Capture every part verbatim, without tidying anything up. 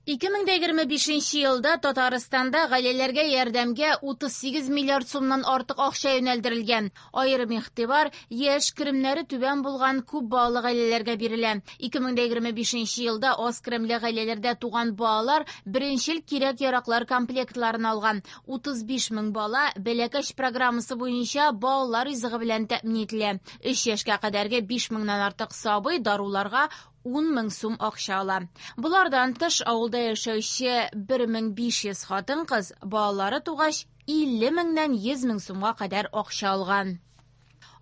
ике мең дә егерме бишенче елда Татарстанда гаиләләргә ярдәмгә утыз сигез миллиард сумнан артык акча юнәлдерелгән. Аерым игътибар яшь керемнәре түбән булган күп балалы гаиләләргә бирелә. ике мең дә егерме бишенче елда аз керемле гаиләләрдә туган балалар беренчел кирәк-яраклар комплектларын алган. утыз биш мең бала Бәләкәч программасы буенча балалар ризыгы белән тәэмин ителә. Өч яшькә кадәрге биш меңнән артык сабый даруларга ун мең сум акча ала. Болардан тыш авылда яшәүче бер мең биш йөз хатын-кыз балалары тугач илле меңнән йөз мең сумга кадәр акча алган.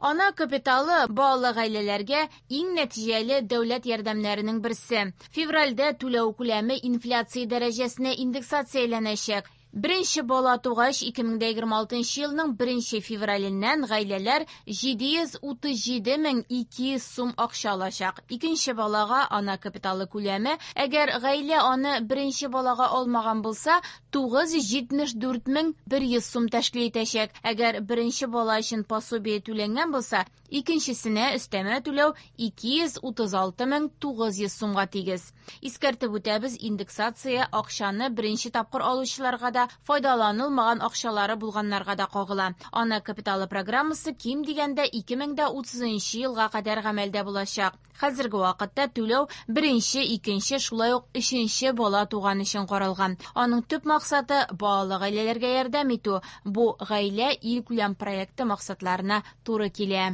Ана капиталы балалы гаиләләргә иң нәтиҗәле дәүләт ярдәмнәренең берсе. Февральдә түләү күләме инфляция дәрәҗәсенә индексацияләнәчәк. Беренче бала тугач ике мең дә егерме алтынчы елның беренче февраленнән гаиләләр җиде йөз утыз җиде мең ике йөз сум акча алачак. Икенче балага ана капиталы күләме, әгәр гаилә аны беренче балага алмаган булса, тугыз йөз җитмеш дүрт мең бер йөз сум тәшкил итәчәк. Әгәр беренче бала өчен пособие түләнгән булса, икенчесенә өстәмә түләү ике йөз утыз алты мең тугыз йөз сумга тигез. Искәртеп үтәбез, индексация акчаны беренче тапкыр алучыларга да, файдаланылмаган акчалары булганнарга да кагыла. Ана капиталы программасы ким дигәндә ике мең дә утызынчы елга кадәр гамәлдә булачак. Хәзерге вакытта түләү беренче, икенче, шулай ук өченче бала туган өчен каралган. Аның төп максаты балалы гаиләләргә ярдәм итү. Бу гаилә илкүләм проекты максатларына туры килә.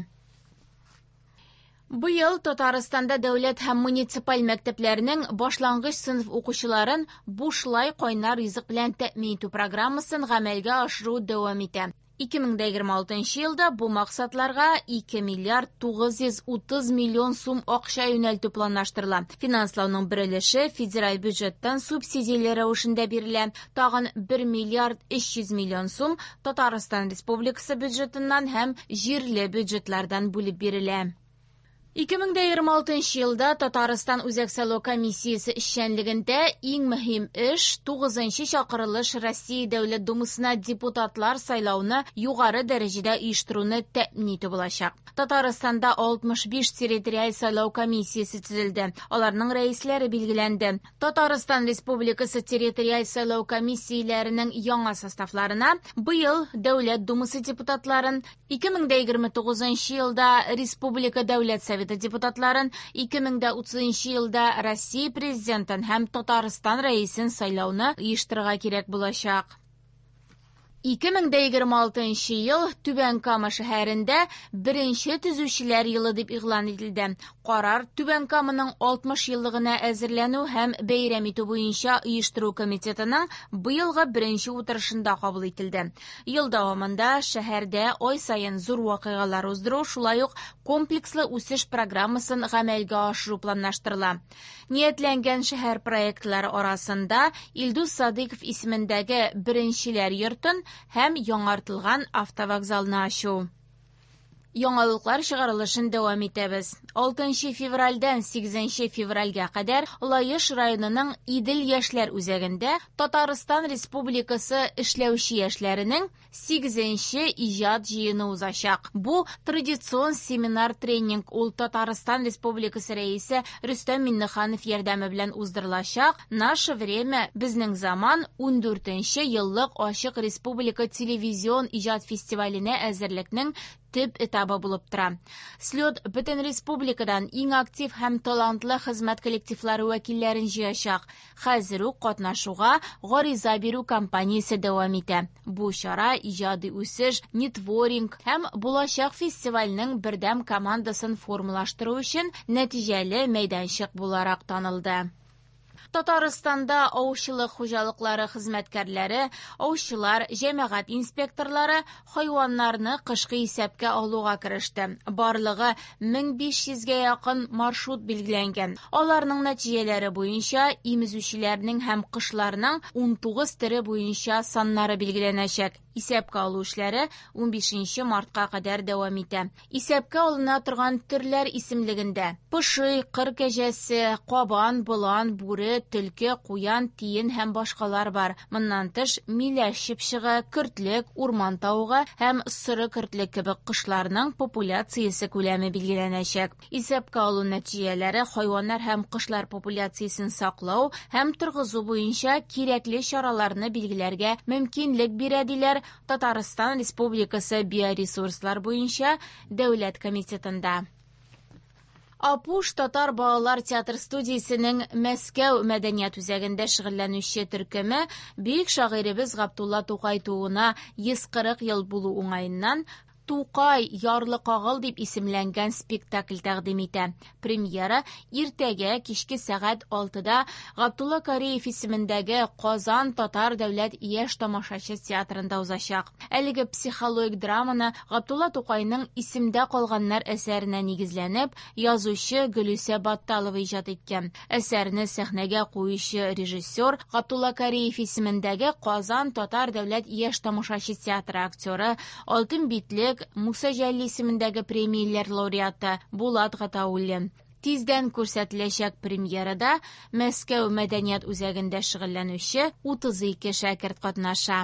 Быел Татарстанда дәүләт һәм муниципаль мәктәпләрнең башлангыч сыйныф укучыларын бушлай кайнар ризык белән тәэмин итү программасын гамәлгә ашыру дәвам итә. Ике мең дә егерме алтынчы елда бу максатларга ике миллиард тугыз йөз утыз миллион сум акча юнәлтү планлаштырыла. Финанслауның бер өлеше федераль бюджеттан субсидияләр рәвешендә бирелә. Тагын бер миллиард өч йөз миллион сум Татарстан Республикасы бюджетыннан һәм җирле бюджетлардан бүлеп бирелә. Ике мең дә егерме алтынчы елда Татарстан Үзәк сайлау комиссиясе эшчәнлегендә иң мөһим эш тугызынчы чакырылыш Россия Дәүләт Думасына депутатлар сайлауны югары дәрәҗәдә оештыруны тәэмин итү булачак. Татарстанда алтмыш биш территориаль сайлау комиссиясе төзелде. Аларның рәисләре билгеләнде. Татарстан Республикасы территориаль сайлау комиссияләренең яңа составларына быел Дәүләт Думасы депутатларын, ике мең дә егерме тугызынчы елда Республика Дәүләт Советы депутатларын, ике мең дә утызынчы елда Россия Президентын һәм Татарстан Рәисен сайлауны оештырырга кирәк булачак. Ике мең дә егерме алтынчы ел Түбән Кама шәһәрендә беренче төзүчеләр елы дип игълан ителде. Карар Түбән Каманың алтмыш еллыгына әзерләнү һәм бәйрәм итү буенча оештыру комитетының быелгы беренче утырышында кабул ителде. Ел дәвамында шәһәрдә ай саен зур вакыйгалар уздыру, шулай ук комплекслы үсеш программасын гамәлгә ашыру планлаштырыла. Ниятләнгән шәһәр проектлары арасында Илдус Садыйков исемендәге беренчеләр йортын һәм яңартылган автовокзалны ачу. Яңалыклар чыгарылышын дәвам итәбез. Алтынчы февральдән сигезенче февральгә кадәр Лаеш районының Идел яшьләр үзәгендә Татарстан Республикасы эшләүче яшьләренең сигезенче иҗат җыены узачак. Бу традицион семинар-тренинг ул Татарстан Республикасы рәисе Рөстәм Миңнеханов ярдәме белән уздырылачак. Наше время, безнең заман ундүртенче еллык ачык республика телевизион иҗат фестиваленә әзерлекнең төп этабы булып тора. Слет бөтен республикадан иң актив һәм талантлы хезмәт коллективлары вәкилләрен җыячак. Хәзер үк катнашуга гариза бирү кампаниясе дәвам итә. Бу чара иҗади үсеш, нетворинг һәм булачак фестивальнең бердәм командасын формалаштыру өчен нәтиҗәле мәйданчык буларак танылды. Татарстанда аучылык хуҗалыклары хезмәткәрләре, аучылар, җәмәгать инспекторлары хайваннарны кышкы исәпкә алуга кереште. Барлыгы мең биш йөзгә якын маршрут билгеләнгән. Аларның нәтиҗәләре буенча имезүчеләрнең һәм кошларның унтугыз төре буенча саннары билгеләнәчәк. Исәпкә алу эшләре унбишенче мартка кадәр дәвам итә. Исәпкә алына торган төрләр исемлегендә поши, кыр кәҗәсе, кабан, болан, бүре, төлке, куян, тиен һәм башкалар бар. Моннан тыш, миләш чыпчыгы, көртлек, урман тавыгы һәм соры көртлек кебек кошларның популяциясе күләме билгеләнәчәк. Исәпкә алу нәтиҗәләре хайваннар һәм кошлар популяциясен саклау һәм торгызу буенча кирәкле чараларны билгеләргә мөмкинлек бирә, диләр Татарстан Республикасы биоресурслар буенча дәүләт комитетында. Апуш татар балалар театр студиясенең Мәскәү мәдәният үзәгендә шөгыльләнүче төркеме бөек шагыйребез Габдулла Тукай тууына йөз кырык ел булу уңаеннан Тукай ярлы кагыл дип исемләнгән спектакль тәкъдим итә. Премьера иртәгә кичке сәгать алтыда Габдулла Кариев исемендәге Казан татар дәүләт яшь тамашачы театрында узачак. Әлеге психологик драманы Габдулла Тукайның Исемдә калганнар әсәренә нигезләнеп, язучы Гөлүсә Батталова иҗат иткән. Әсәрне сәхнәгә куючы режиссер Габдулла Кариев исемендәге Казан татар дәүләт яшь тамашачы театры актеры, Алтын битлек Муса Җәлил исемендәге премияләр лауреаты Булат Гатауллин. Тиздән күрсәтеләчәк премьерада Мәскәү мәдәният үзәгендә шөгыльләнүче утыз ике шәкерт катнаша.